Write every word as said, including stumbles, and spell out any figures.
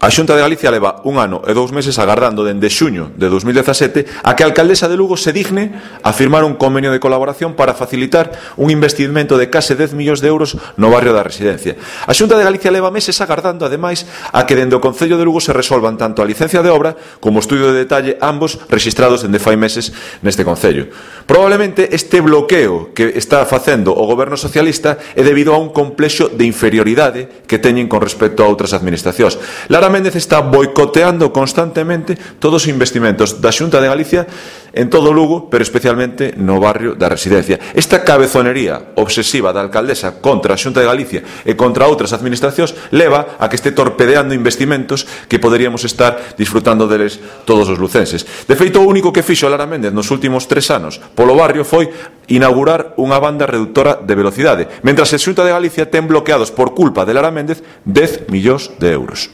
A Xunta de Galicia leva un ano e dous meses agardando dende xuño de dos mil dezasete a que a alcaldesa de Lugo se digne a firmar un convenio de colaboración para facilitar un investimento de case dez millóns de euros no barrio da Residencia. A Xunta de Galicia leva meses agardando, ademais, a que dende o Concello de Lugo se resolvan tanto a licencia de obra como o estudio de detalle, ambos rexistrados dende fai meses neste Concello. Probablemente este bloqueo que está facendo o Goberno socialista é debido a un complexo de inferioridade que teñen con respecto a outras administracións. Lara Méndez está boicoteando constantemente todos os investimentos da Xunta de Galicia en todo Lugo, pero especialmente no barrio da Residencia. Esta cabezonería obsesiva da alcaldesa contra a Xunta de Galicia e contra outras administracións leva a que este torpedeando investimentos que poderíamos estar disfrutando deles todos os lucenses. De feito, o único que fixo Lara Méndez nos últimos tres anos polo barrio foi inaugurar unha banda reductora de velocidade, mentras a Xunta de Galicia ten bloqueados por culpa de Lara Méndez dez millóns de euros.